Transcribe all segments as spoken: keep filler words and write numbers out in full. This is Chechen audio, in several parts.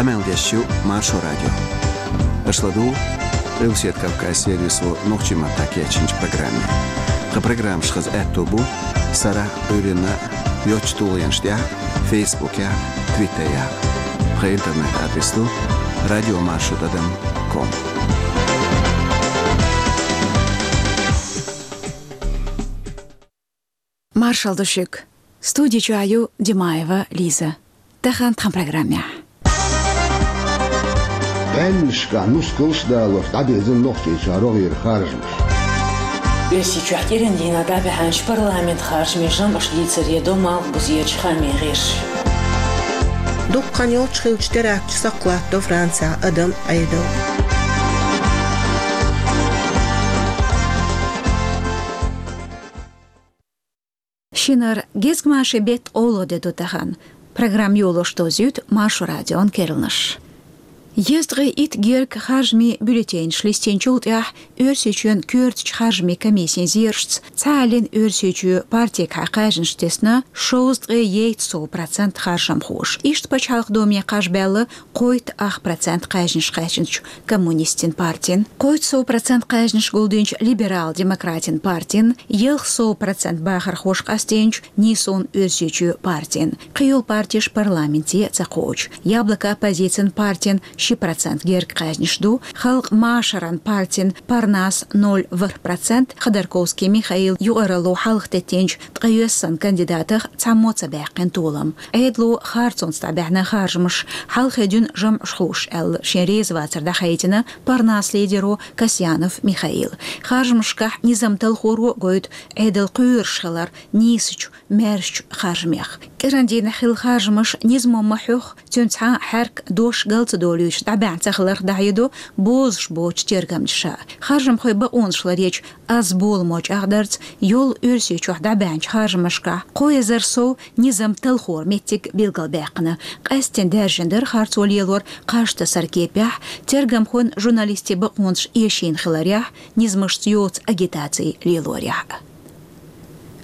Къамел деш ю Маршо радио. Аша ладугӀу Къилбаседа Кавказан сервисо нохчийн маттахь кечйинчу программе. Тхан программаш хаза аьтто бу сарахь а, Ӏуьйранна а йоцчу тулгӀенаш тӀехь а, Фейсбукехь а, Твиттерехь а. Тхан интернет-адрес ду радиомаршо тӀадам ком. Маршалла ду шуьга. Студи чохь ю Димаева Лиза. Тахана тхан программехь. Баьннашкахь нускалш а далош дӀабирзина Нохчийчохь рогӀера харжамаш. Оьрсийчохь кӀиран дийнахь дӀабаьхьначу парламентан харжамийн жамӀаш дийцаре до малхбузерчу хаамийн гӀирсаша. Дукха хан йолуш хиллачу теракташа сакхалаттадо Францехь адам Ӏедал. Шинара гезгмашин беттан къоло де ду тахана. Программа йолош дозуьйту Маршо радион керланаш. Езткъе итт гергга харжамийн бюллетенаш листинчул тӀаьхьа Оьрсийчоьнан коьртачу харжамийн комиссин зерашца цхьа а лина Оьрсийчоь партигахьа кхаьжнаш тесна шовзткъе ейтта сов процент харжамхоша. Иштта Пачхьалкхан Думе кхаж баьлла кхойтта ах процент кхаьжнаш кхаьчначу Коммунистийн партина. Кхойтта сов процент кхаьжнаш гулдинчу Либерал-демократийн партина, ялх сов процент бахархоша къастийначу Нийсонан Оьрсийчоь партина. Кхин йолу партеш парламенте ца кхочу. Яблоко оппозицин партина ши процент гергга кхаьжнаш ду, Халкъан машаран партин Парнас ноль ворхӀ процент, Ходорковский Михаил юкъаралло хьалха теттинчу ткъайоьссан кандидатах цхьаммо ца баьккхина толам. Ӏедало харцонца дӀабаьхьна харжамаш, хьалхе дуьйна жамӀаш хууш аьлла, шен резавацар дӀахайтина Парнас лидеро Касьянов Михаила. Харжамашкахь низам талхоро гойту Ӏедал кхоьруш хилар нийсачу маьршачу харжамех. КӀиран дийнахь хилла харжамаш низамо ма хьоьхху, цуьнан цхьа а хьаьрк дош гал ца долуьйтуш дӀабаьхьна ца хиларх дӀахьедо бозуш боцчу тергамчаша. Харжамхойн бакъонаш ларъечу аз боламо чӀагӀдарца, йолу Оьрсийчохь дӀабаьхьначу харжамашкахь кхо эзар сов низам талхоран меттиг билгалбаьккхина. Къаьсттина даьржина дара харцо лелор кхаж тасаран кепехь, тергамхойн, журналистийн бакъонаш эшийна хиларехь, низамашца йоцу агитаци лелорехь.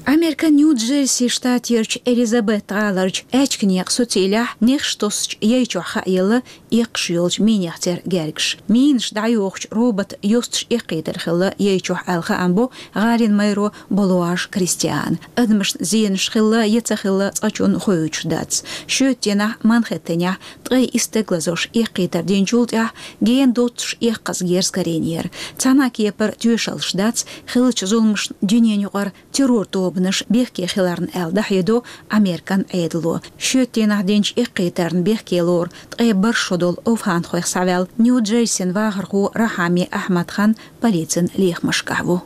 Американ Нью-Джерси штатерчу Элизабет гӀаларчу аьчка некъан суцилехь нехаш тосучу яй чохь хаелла эккхаш йолчу минех церан гергарш. Минаш дӀайохучу роботан йосташ эккхийтар хилла яй чохь аьлла хаам бо гӀалин мэро Болуаш Кристиана. Адамашна зенаш хилла я ца хилла цкъачунна хоуьйтуш дац. Шоьтан дийнахь Манхэттенехь ткъе исс стегалазош эккхийтар динчул тӀаьхьа гена доццуш эккхаза герз карийнера. Цхьана а кепара тоьшаллаш дац хиллачу зуламашна дуьненаюкъара террор тобанаш бехке хиларна аьлла дӀахьедо Американ Ӏедало. Шоьтан дийнахь динчу эккхийтарна бехке лору ткъе бархӀ шо долу овхӀанхойх схьаваьлла Нью-Джерсин вахархо Рахьами Ахьмад-хан полицин лехамашкахь ву.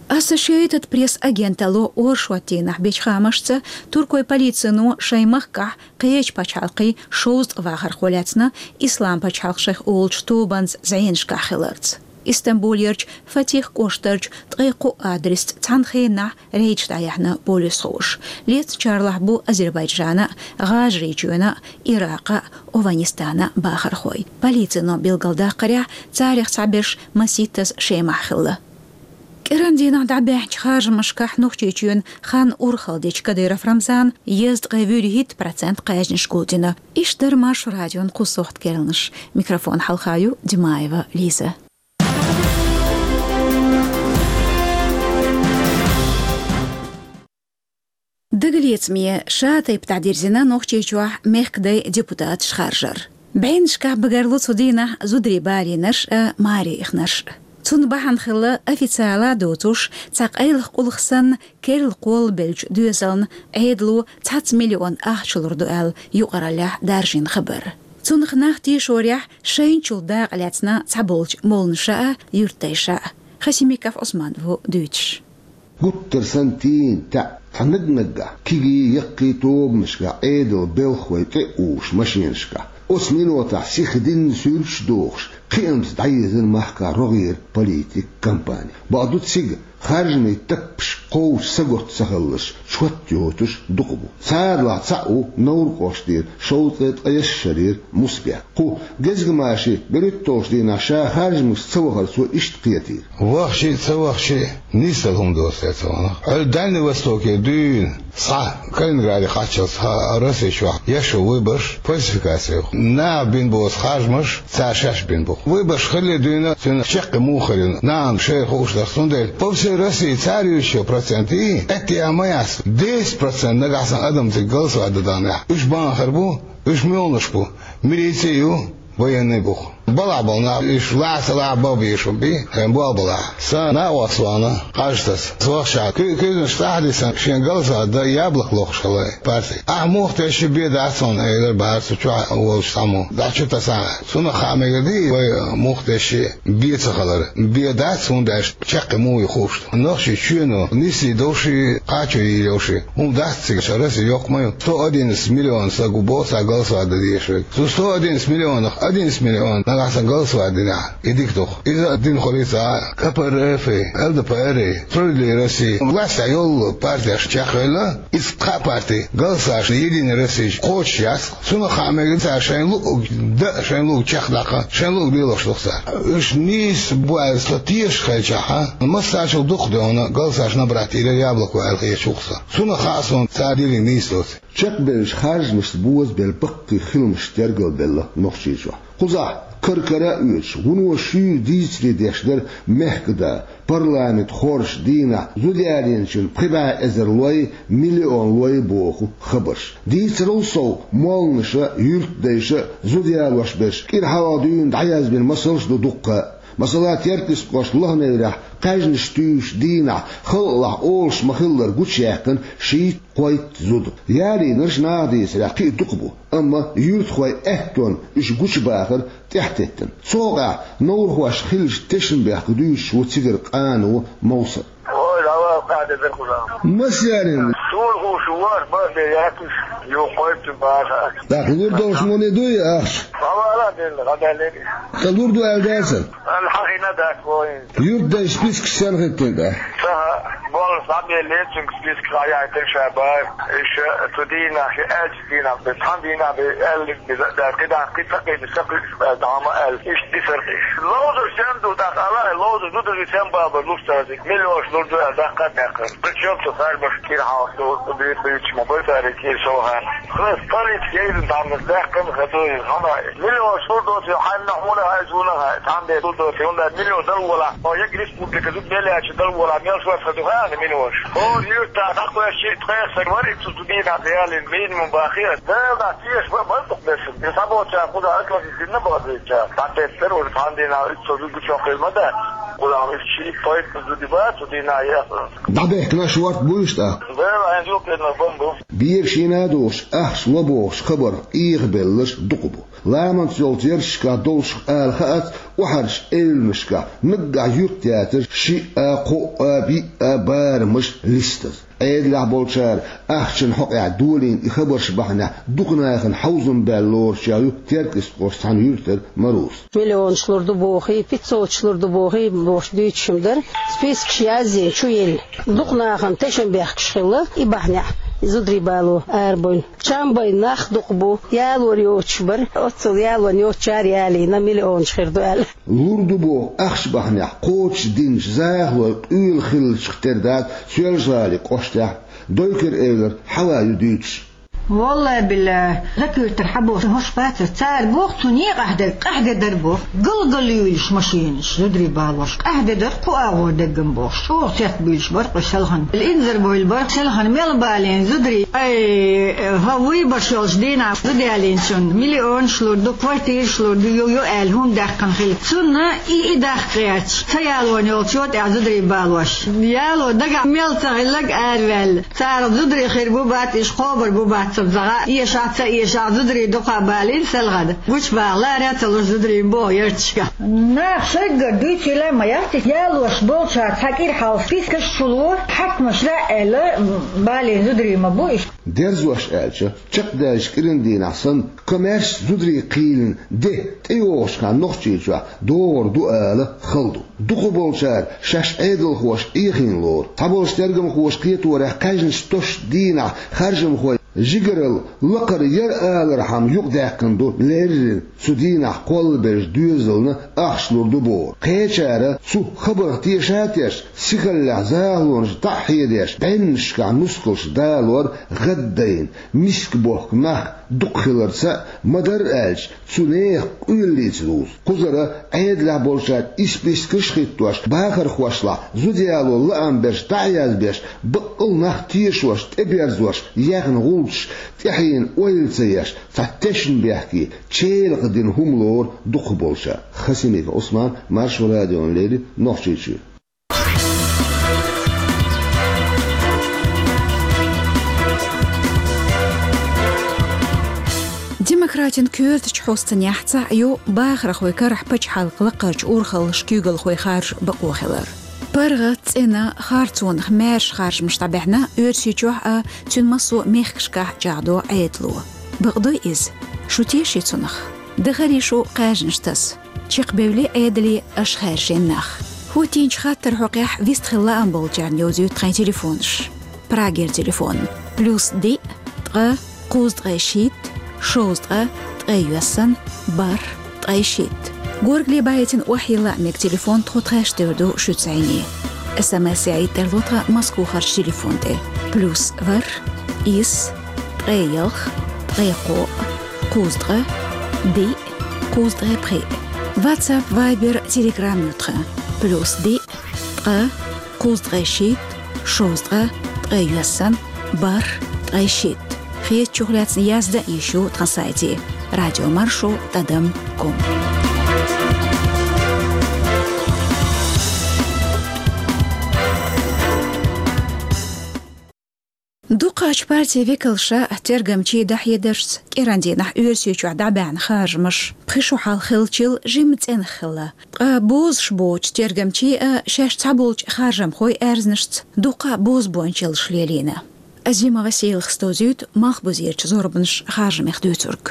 Associated Press агенталло оршот дийнахь бечу хаамашца, туркойн полицино шайн махкахь кхечу пачхьалкхийн шовзткъа вахархо лаьцна, Ислам пачхьалкх шайх олучу тобанца зӀенашкахь хиларца. Истамбулерчу Фатих кӀоштарчу ткъе кхо адресца цхьана хенахь рейдаш дӀаяьхьна полисхоша. Лецначарлахь бу Азербайджана а, ГӀажарийчоьнна а, Иракъа а, Овханистана а бахархой. Полицино билгалдаккхарехь, царех цхьаберш маситтаза Шемахь хилла. КӀиран дийнахь дӀабаьхьначу харжамашкахь Нохчийчоьнан хан урхалла дечу Кадыров Рамзана езткъе вуьрхӀитта процент кхаьжнаш гулдина. Иштта дара Маршо радион кху сохьта керланаш. Микрофон хьалха ю Димаева Лиза. Дагалецаме ша тайпа дӀадирзина Нохчийчохь мехкадай депутаташ харжар. БӀеннашкахь багарло цу дийнахь зударий балийнарш а, маре ихнарш а. Цунна бахьана хилла официала а доцуш, цхьа къайлаха къулах санна, керла кхоллабеллачу доьзална Ӏедало цхьацца миллион ахча лур ду аьлла юкъараллехь даржийна хабар. Цунах нах тешорехь шайначул дакъа лаьцна цхьаболчу молланаша а, юьртдайша а. Хасимиков Ӏусман ву дуьйцуш. Гуттар санна тийна таьӀ цхьа наг-наггахь, кегий, яккхий тобанашкахь Ӏедалан белхалой тӀе а увуш машенашкахь, оцу минотахь сиха динна суьрташ а дохуш, Кхиамца дӀаезар махкахь рогӀера политикан кампани. Бакъду, цига харжамийн таппаш кхочуш саготта ца хиларш чот йоцуш дукха бу. Царах цхьаъ ву Невран кӀоштера шовзткъе ткъаесна шарера Мусабек. Кху гезгамашин берхӀитталгӀачу дийнахь ша харжамашка ца вахар цо иштта кхетийра: «Вахча а, ца вахча а, нисдала хӀума доцу те ца вахна. Хьо Дальний Востокера дуьйна схьа Калининграде кхаччалц, хӀа, Росси чохь еш йолу выбораш фальсификаци ю. Наха бина боцу харжамаш цара шаьш бина бу. Выбораш хилале дуьйна цуьнан чаккхе муха хир ю, нахана шайна хууш дара. Цундела по всей России цара юьйцучу процентийн, аьттехьа ма яц, десять процент нагахь санна адам цига голосовать дан даханехь, уьш бахархой бу, уьш муьлханаш бу, милици а ю, военный а бу». Балахь болу нах, уьш лаьцна лаьцна бан безаш бу, хьайн болх балахь. Сан накъост вахана Къаьжтас, вахча, куьйганаш цӀахь а дисина, шен голосовать дан яблоко лохуш хилла парти. «Ахь муха тесча а бен дац хьуна», — элира бахара цу чохь волчу цхьаммо, дӀа чу тасахь. Цунах хаа мегар ду вай муха тесча а бен ца хилар. Бен дац, хӀунда аьлча чаккхе муха ю хууш ду. Нохчийн чоьно нислуш долуш а, кхачо йийр йолуш а хӀума дац цига, ша Росси йоккха ма ю. Сто одиннадцать миллион стаг ву боху цхьа голосовать дан дезаш верг. Цу сто одиннадцать миллионах одиннадцать миллион нагахь санна голосовать динехь, и дика ду-кх. Иза а дина хуьлий цхьа а КПРФ-и, ЛДПР-и, Справедливая Россия. Властехь йолу партеш чекхвелла, иза кхаа парти голосовать Единая Россия кхочуш яц. Цунах хаа мегар ду цара шайн луъург дан а, шайн луъург чекхдаккха, шайн луъург лелош ду-кх цара. Уьш нийса бу аьлла со тешаш хилчахь а, массарчул дукха дуьйна голосовать набрать йира яблоко аьлла хеташ ву-кх со. Цунах хаа суна цара диллинарг нийса доций. Чекхбевллачу харжамашца бозабелла баккхий хиламаш тергалбелла Нохчийчохь. Кхузахь кара-кара а оьцуш, вуно шуьйра дийцаре деш дара мехкан да, парламент хоржучу дийнахь зуда ялийначун пхи бӀе эзар лой, миллион лой боху хабарш. Дийцарал сов, молланаша а, юьртдайша а зуда ялош берш кӀира хьалха дуьйна дӀаязбина масалш а ду дуккха а. Масала, Теркйистан кӀоштан Лохневрехь кхаьжнаш туьйсучу дийнахь халкъалахь олуш ма-хиллара гучуяьккхина шийтта-кхойтта зуда. Ялийнарш, наха дийцарехь, кхин а дукха бу, амма юьртахойн аьттонна уьш гучубахар тӀаьхьатеттина. Цу хьокъехь неврахошна хиллачу тешнабехкан дуьйцуш ву цигара къано Мовсар. Ой, давай, кхаьдедара кхузахь. Маса ялийна? Суна хууш ву, аш бан бен яц уьш, юха кхойтта баха. ТӀаккха лур долуш муьлха ду и ахча? Ма вала а делла, гӀа даьллера. ТӀаккха лур ду аьлла дацара? Ан хьахина дац вайн. Юьртдайша спискаш сенна хӀиттина тӀаккха? Ца хаьа, боллаш дӀабеллера цуьнга списка, схьаяьхьийтира ша бара. Иштта цу дийнахь ши аьлча дийнахь бен, цхьана дийнахь бен аьллиг беза а дац, кхидӀа кхин ца кхийдина, ца кхуьуш аьлла, дӀа ма аьлла. Иштта дисара иза. Ловзар сен ду тӀаккха, ала, ловзар зударий сен бала бара луш цара цига? Миллионаш лур ду аьлла, даккха а даьккхира. Причём цу харжамашна кӀира хьалха ду, ду, буьйцуш ма бара цара кӀира совгӀатна. Хьан политика яйзина, тхьамнас даьккхина хаза иза, хьан миллионаш лур доций, хьанна хьуна хьайза, хьуна хьай, цхьана бен лур доций, хӀунда аьлча миллион дала волахь, хьо я республика зуда мел яьлча дала волахь, мел шорта ду хьан миллионаш? ХӀора юьртахь дӀакхоьссича, ткъех стаг вара, иццу дийнахь ялийна минимум бахе. Дала дӀа теша бан, бан дукха бесса. Иза схьаболчара кхузахь атлантизмна бахадуьйцучара. ДӀатеттара уьш цхьана дийнахь, иццо зуда гучохь хир ма дац. Кхузахь уьш шийтта-кхойтта зуда бац цу дийнахь яхна. ДӀабехкина шорта буй уьш тӀаккха? Дала хьайн зулкъенах бан бу. Бер шена а дохуш, ахча ло бохучу хабарх Ӏехабелларш дукха бу. Ламанца йолчу ярташкахь долчух ала хаац, охьарчу эвланашкахь наггахь юьртаяцара шиъ а, кхоъ а, биъ а барамаш листаза. Ӏедалехь болчара ахчанан хьокъехь долийна и хабарш бахьанехь дукха нахана хьовзам баьлла лоручех ю Теркйистан кӀоштан цхьана юьртара Маруса. Миллионаш лур ду бохий, пятьсоташ лур ду бохий бохуш дуьйцуш-м дара. Спискаш язйина, чу елла. Дукха нахана тешнабехкаш хилла, и бахьанехь зударий бало арабевлла. Чам бен нах дукха бу, ялор йоцуш бара, оццул ялон йоцучара ялийна, миллионаш хир ду аьлла. Лур ду боху ахча бахьанехь кхочушдинчу захалой къуьйлахь хиллачух тера дац Соьлжа-ГӀалин кӀоштехь а, Дойкар-Эвлара Хьава ю дуьйцуш. Валлай-биллай, закуьртара хьан боху хӀорш бацара, цара боху цу некъахь дерг къаьхьа де дара боху, гал-гал юьйлуш машинаш, зударий балош, къаьхьа де дара кху агӀор деггам бохуш, чӀогӀа цецбуьйлуш бара кху селхана. Инзарбевлла бара селхана мел балийна зударий. Ай, хӀо вуй баш йолчу дийнахь зуда ялийначунна миллионаш лур ду, квартираш лур ду, ю, ю аьлла хӀума даьккхина хилла. Цунна и, и даккха гӀерташ, ца ялон йолчо тӀехь зударий балош. Яло дагахь мел ца хилларг араваьлла. Царах зударий хир бу бац, иштта кхобур бу бац. Загӏа эшахь, ца эшахь, зударий дукха балийна селхана. Гучабаха лара ца луш зударий боху ярташка. Нах шайгара дуьйцийла ма яц, ялош болчара цхьа кӀира хьалха спискаш чу ло, хьаькамаша аьлла, балийна зударий ма бу иштта. Дерзош аьлча, чекхдаьллачу кӀиран дийнахь санна, коммерчески зударий кхийлина де тӀейогӀучу хенахь Нохчийчохь догӀур ду ала хала ду. Дукхахболчара шаьш Ӏедалхоша Ӏехийна лору. Цхьаболчу тергамхоша кхеторехь, кхаьжначу тосучу дийнахь харжамхой жигаралла лакхара яра алархьама юкъадаьккхина ду леррина, цу дийнахь кхоллабеллачу доьзална ахча лур ду бохург. Кхечара цу хабарх теша а тешна, сихаллехь захалонаш дӀа а хьедеш, бӀеннашкахь нускалш далор гӀаддайна, миска бохку нах дукха хиларца а, ма-дарра аьлча, цу нехан къоьллица дузу. Кхузара Ӏедалехь болчара и спискаш а хӀиттош, бахархошлахь зуда яло лаам берш дӀа а язбеш, баккъал нах тешош, тӀеберзош яьхна гӀулчаш тӀаьхьенна ойла ца еш, цхьа тешнабехке, челакх дина хӀума лору дукхахболчара. Хасимиков Ӏусман, Маршо радиона леррина, Нохчийчуьра. Демократийн коьртачу хьосташна цхьаъ ю бахархой карахь пачхьалкхан лакхарчу урхаллаша куьйгалхой харжа бакъо хилар. ПаргӀат, цӀена, харцонах маьрша харжамаш дӀабаьхьна Оьрсийчохь а, цуьнан массо а мехкашкахь а чӀагӀдо Ӏедало. Бакъдой иза? Шу теший цунах? Дахарий шу кхаьжнаш таса? Чекхбевллий Ӏедале аша хаьржина нах? ХӀоттийначу хаттаран хьокъехь вистхила лаам болчарна йовзуьйту тхайн телефонаш. Прагера телефон: плюс диъ, ткъа, кхузткъе шийтта, шовзткъа, ткъе йоьссана, бархӀ, ткъе шийтта. Горгали баийтина охьайилла а мега телефон тхо тхаьш девр ду шуьца зӀене. СМС яийта тарло тхан Москвахарчу телефон тӀе: плюс ворхӀ, исс, ткъе ялх, ткъе кхоъ, кхузткъа, диъ, кхузткъе пхиъ. WhatsApp, Viber, Telegram ю тхан: плюс диъ, ткъа, кхузткъе шийтта, шовзткъа, ткъе йоьссана, бархӀ, ткъе шийтта. Хетачух лаьцна яздан а йиш ю тхан сайте: радиомаршо тӀадам ком. Дукхачу партийн векалша тергамчийн дӀахьедаршца, кӀиран дийнахь Оьрсийчохь дӀабаьхьна харжамаш пхи шо хьалха хиллачул жимма цӀенах хилла. Ткъа бозуш боцчу тергамчийн а, шаьш цхьаболчу харжамхойн а аьрзнашца дуккха а бозбуунчаллаш лелийна. Азима Василас дӀахьовзуьйту малхбузерчу зорбанаш харжамех дуьйцург.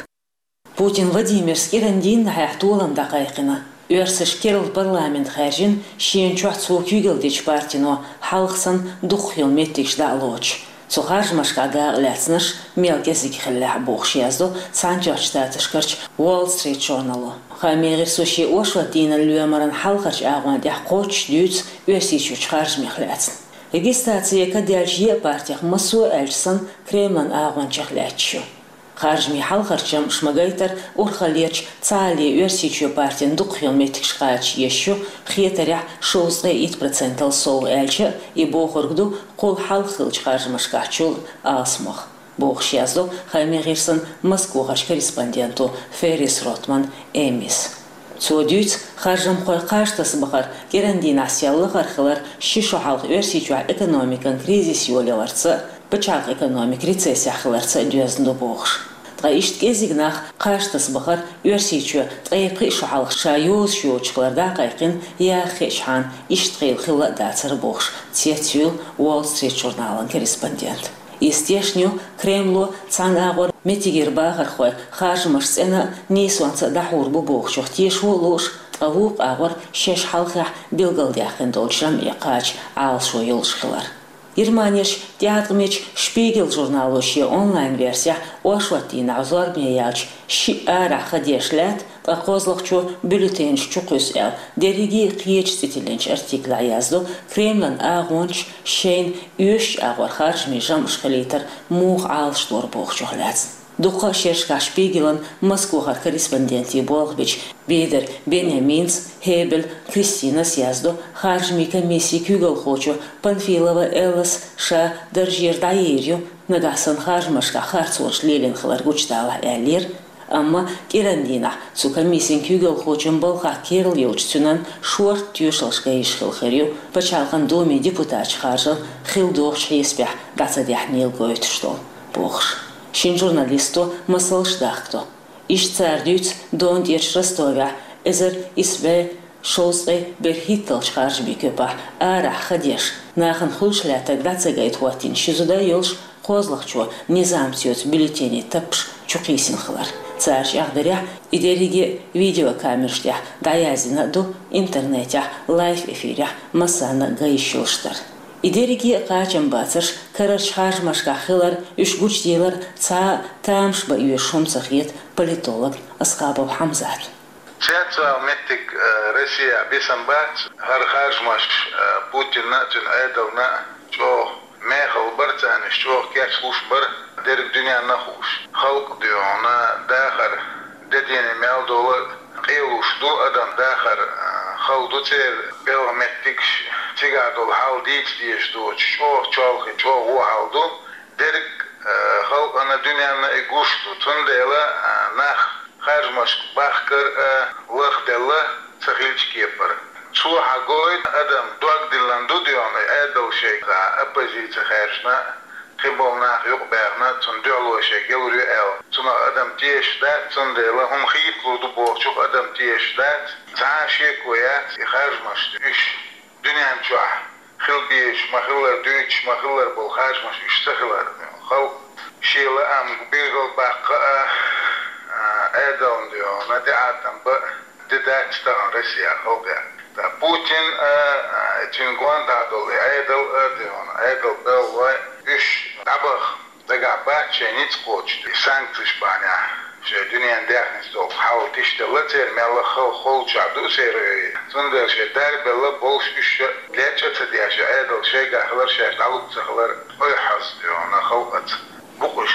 Путин Владимира кӀиран дийнахьехь толам дӀакхайкхина. Оьрсаша керла парламент хаьржина, шена чохь цо куьйгалла дечу партино хьалха санна дукхах йолу меттигаш дӀа а лоцуш. Цу харжамашкахь дакъа лаьцнарш мел кӀезиг хиллехь а бохуш яздо Цхьаьнатоьхначу Штаташкарчу Wall Street Journal-о. Хаамийн гӀирсо шен оршотдийнан лоьмаран хьалхарчу агӀон тӀехь кхоччуш дуьйцу Оьрсийчуьрчу харжамех лаьцна. Регистраци кадаьллачу еа партех массо а аьлча санна Кремлан агӀончех лаьтташ ю. Харжамийн хьалхарчу жамӀаша ма-гайтара, урхаллерчу «Цхьаалле Оьрсийчоь» партин дукхах йолу меттигаш кхача езаш ю, хетарехь, шовзткъе итт процентал сов, аьлча а, и бохург ду кхул хьалха хиллачу харжамашкахьчул алсамох, бохуш яздо Хаамийн гӀирсан Москвахарчу корреспонденто Феррис Ротман Эмис. Цо дуьйцу, харжамхой кхаж таса бахар, кӀиран дийнахь сел лахара хилар ши шо хьалха Оьрсийчохь экономикан кризис йолаяларца а, пачхьалкхан экономика рецессехь хиларца а доьзна ду бохуш. Ткъа иштта кӀезиг нах кхаж таса бахар Оьрсийчоь ткъе пхи шо хьалха ша йозуш йоцуш хилар дӀакхайкхина, яха хиъчхьана иштта хила хилла а дацара бохуш, цецйуьйлу Wall Street журналан корреспондент. Иза тешна ю, Кремло цхьана агӀор меттигера бахархой харжамаш цӀена а, нийсонца а дӀахьур бу бохучух тешо а лууш, ткъа вукху агӀор шаьш хьалхехь билгалдаьккхина долчу жамӀе кхача Ӏалашо йолуш хилар. Германерчу тӀеӀаткъамечу Шпигел журнало шен онлайн-версехь оршотдийнахь зорбане яьлча шиъ арахь хан деш лаьтта, ткъа кхозлагӀчо бюллетенаш чу кхуьссу аьлла, дерриге а кхечу цӀе тиллинчу артиклехь яздо, Кремлан агӀончаша шайна оьшучу агӀор харжамийн жамӀаш хилийтар муха Ӏалашдора бохучух лаьцна. Дуккха а шерашкахь Шпигелан Москвахара корреспондентийн болх бича Бедер Беньяминас, Хебель Кристинас яздо, харжамийн комиссин куьйгалхочо Панфилова Эллас ша даржера дӀаер ю, нагахь санна харжамашкахь харцонаш лелийна хилар гучудалахь, аьллера. Амма кӀиран дийнахь цу комиссин куьйгалхочун балхах керла йолчу цуьнан шорта тоьшаллаш ган йиш хилла хир ю, пачхьалкхан Думин депутаташ харжар хилла догӀучу хьесапехь дӀа ца даьхьнийла гойтуш долу, бохуш. Шин журналисто масалш дахкадо. Иштта цара дуьйцу Дона тӀерачу Ростовехь эзар исс бӀе шовзткъе берхӀитталгӀачу харжамийн коьпахь арахь ха деш, нахана хуьлуш лаьттарг дӀа ца гайта хӀоттийна ши зуда йолуш кхозлагӀчо низамца йоцу бюллетенийн таппаш чукхийсина хилар. Цара чӀагӀдарехь, и дерриге а видеокамераш тӀехь дӀаяздина а ду, интернетехь лайв-эфирехь массарна а ган йиш йолуш дара. И дерриге а кхачамбацарш карарчу харжамашкахь хилар, уьш гучудийлар цхьа а тамаш бан оьшуш хӀума ца хета политологна Асхабов Хьамзатна. Цецвала меттиг, э, Россехь бисам бац, хӀара харжамаш, э, Путинна а, цуьнан Ӏедална а чӀогӀа мехала бара царна, уьш чӀогӀа кечлуш бара, дерриг дуьненна а хууш. Халкъ дуьйхьуна дахар де-дийне мел долу къелуш ду, адам дахар, а, хала ду церан белхан меттигаш, цигахь долу хьал дийца дезаш доцуш, чӀогӀа чолхе, чӀогӀа вон хьал ду. Дерриг, а, халкъана, дуьненна и гуш ду. Цундела, а, нах харжамашка бахкар а лахделла ца хилча кепара. Цо хьан гойту адам дог диллина ду дуьйхьуна, и Ӏедал шайга оппозици хаьржина, кхин болу нах юкъабаьхна, цунна дуьхьало шайга ялур ю аьлла. Цунах адам тешаш дац, цундела хӀума хийцалур ду бохучух адам тешаш дац. Цхьа а шеко яц, и харжамаш уьш дуьнен чохь хила безаш ма-хиллара, дуьйцуш ма-хиллара болу харжамаш уьш ца хилар. Халкъ шен лаам билгалбаккха а, а, Ӏедална дуьйхьуна тӀеӀаткъам бан де дац тахана Россехь халкъехь. Ткъа Путин а, а, цуьнан гонахьа долу и Ӏедал а дуьйхьуна, Ӏедал белхалой, уьш дӀабаха дагахь бац шайн ницкъ кхочуш, и санкцеш бахьанехь шайн дуьненан даьхница долу хьал тишделла церан, мелла а хала холчохь ду церан. Цундела шайн дарбелла болуш уьш лечкъа а ца деш, и Ӏедал шайгахь хилар, шаьш дӀалуш ца хилар ойхьаза дуьйхьуна халкъаца бу-кх уьш.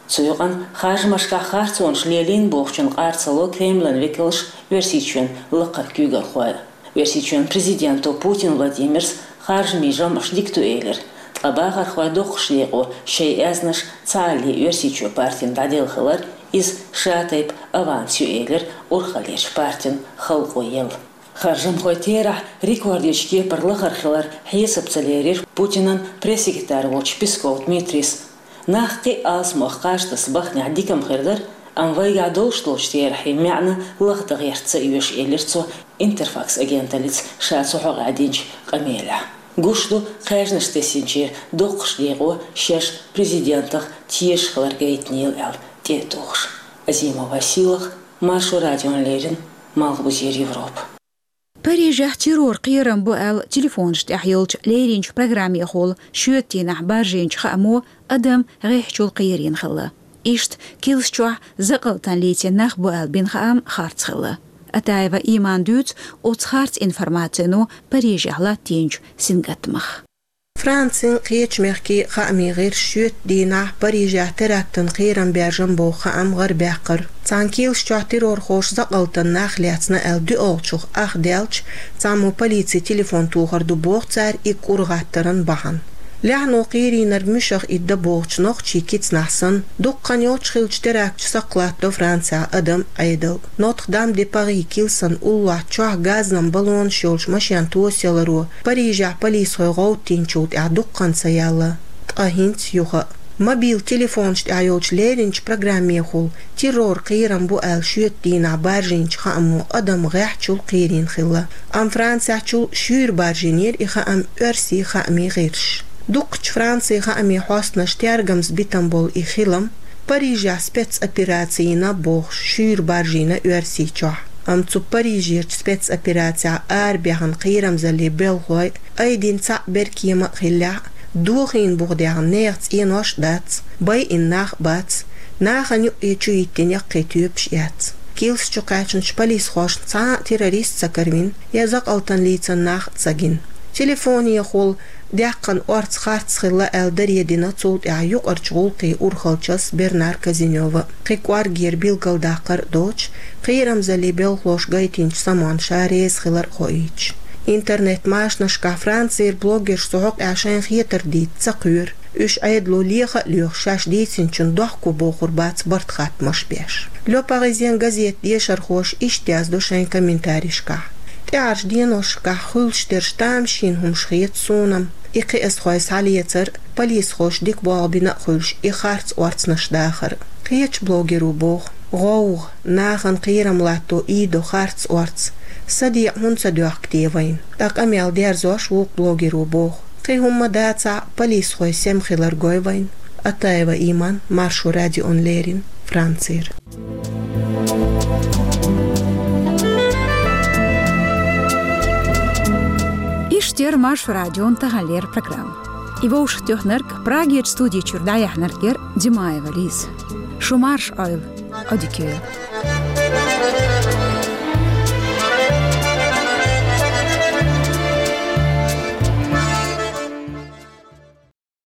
Цу юкъана харжамашкахь харцонаш лелийна бохучунна къар ца ло Кремлан векалш, Оьрсийчоьнан лакхара куьйгалхой. Оьрсийчоьнан президенто Путин Владимирс харжамийн жамӀаш дика ду элира, ткъа бахархой доккхачу декъо шайн аьзнаш цхьаалле Оьрсийчоь партина дӀаделла хилар, иза ша тайпа аванс ю элира урхаллерчу партина халкъо елла. Харжамхойн терахь рекордечу кепара лахара хилар хьесап ца лерира Путинан пресс-секретарь волчу Песков Дмитрийс. Нах кхин а алсамох кхаж таса баханехь дика-м хир дара, амма вайгахь долуш долчу терахьийн маьӀна лахдан гӀерта ца оьшу, элира цо Интерфакс агенталлица ша цу хьокъехь динчу къамелехь. Гуш ду, кхаьжнаш тесначеран доккхачу декъо шаьш президентах тешаш хилар гайтинера аьлла тӀе а тухуш. Азимова Сийлаха, Маршо радиона леррина, Малхбузера Европа. Парижехь террор кхерам бу аьлла телефонаш тӀехь йолчу леринчу программехула шоьтан дийнахь баржийначу хаамо адам гӀеххьачул кхерийна хилла. Иштта килс чохь закъалтана лецна нах бу аьлла бина хаам харц хилла. Атаева Имана дуьйцу оцу харц информацино Парижехь латтийначу сингаттамах. Францин, кхечу мехкийн хаамийн гӀирсаша шоьтан дийнахь Парижехь терактан кхерам баьржина боху хаам гӀарабаьккхира. Цхьана килс чохь террорхоша закъалтана нах лецна аьлла доьалгӀачух ах даьлча, цхьаммо полицин телефон тухур ду боху цара и кӀур гӀаттаран бахьана. Лаьхьано кхерийнарг муьшах итт дан бохучу нохчийн кицнахь санна, дукха хан йоццуш хиллачу теракташа сакхлаттадо Францехь адам, Ӏедал. Нотр-Дам-де-Пари килсан уллохь чохь газан баллонаш йолчу машен тосаяларо Парижехь полисхой гӀовттийначул тӀаьхьа дукха хан ца яьлла, ткъа хӀинца юха а. Мобил телефонаш тӀехь йолчу леринчу программехула террор кхерам бу аьлла шоьтан дийнахь баржийначу хаамо адам гӀеххьачул кхерийна хилла. Амма Францехьчул шуьйра баржийнера и хаам оьрсийн хаамийн гӀирсаша. Дукхачу Францин хаамийн хьостанаша тергамза битина болу и хилам Парижехь спецопераци йина бохуш шуьйра баржийна Оьрсийчохь. Амма цу Парижерчу спецоперацехь арабаьхна кхерамзаллин белхалой айдина цхьаъ беркема а хиллехь а, дохийна буха даьхна нехан цӀенош а дац, байина нах а бац, нахана юкъе чу йиттина яккхий тоьпаш а яц. Килс чу кхаьчначу полисхошна цхьа а террорист ца каравина, я закъалтана лецна нах а ца гина. Телефонехула даьккхина орца харц хилла аьлла даре дина цул тӀаьхьа юкъарчу гӀуллакхийн урхаллчас Бернар Казинёва. Кхин кӀоргера билгалдаккхар а доцуш, кхерамзаллин белхалоша гайтинчу самонна ша реза хилар а хоуьйтуш. Интернет-машанашкахь Францера блогерша цу хьокъехь шайна хетар дийца ца кхоьру. Уьш Ӏедало леха а лоьхуш, шаьш дийцинчунна дохко бохур бац барт-хаттамаш а беш. Le Parisien газетан дешархоша иштта яздо шайн комментарийшкахь: «ТӀаьхьарчу деношкахь хуьлуш дерш тамашийна хӀумаш хета суна-м. И кхиазхой схьалецар, полисхоша дика болх бина а хуьлуш, и харц орцанаш дахар. Кхечу блогеро боху: «ГӀовгӀа, нахана кхерам латто ийдо харц орц. СадеӀа хӀунда ца доьхку те вайна?» Ткъа къамел дерзош вукху блогеро боху: «Кхин хӀумма дацахь а, полисхой сема хилар гой вайна». Атаева Иман, Маршо радиона леррина, Францера. Иштта яра Маршо радион таханлера программа. И вовшахтоьхнарг, Прагерчу студи чуьра дӀаяьхьнарг яра Димаева Лиза. Шу марша Ӏойла, Ӏодика йойла.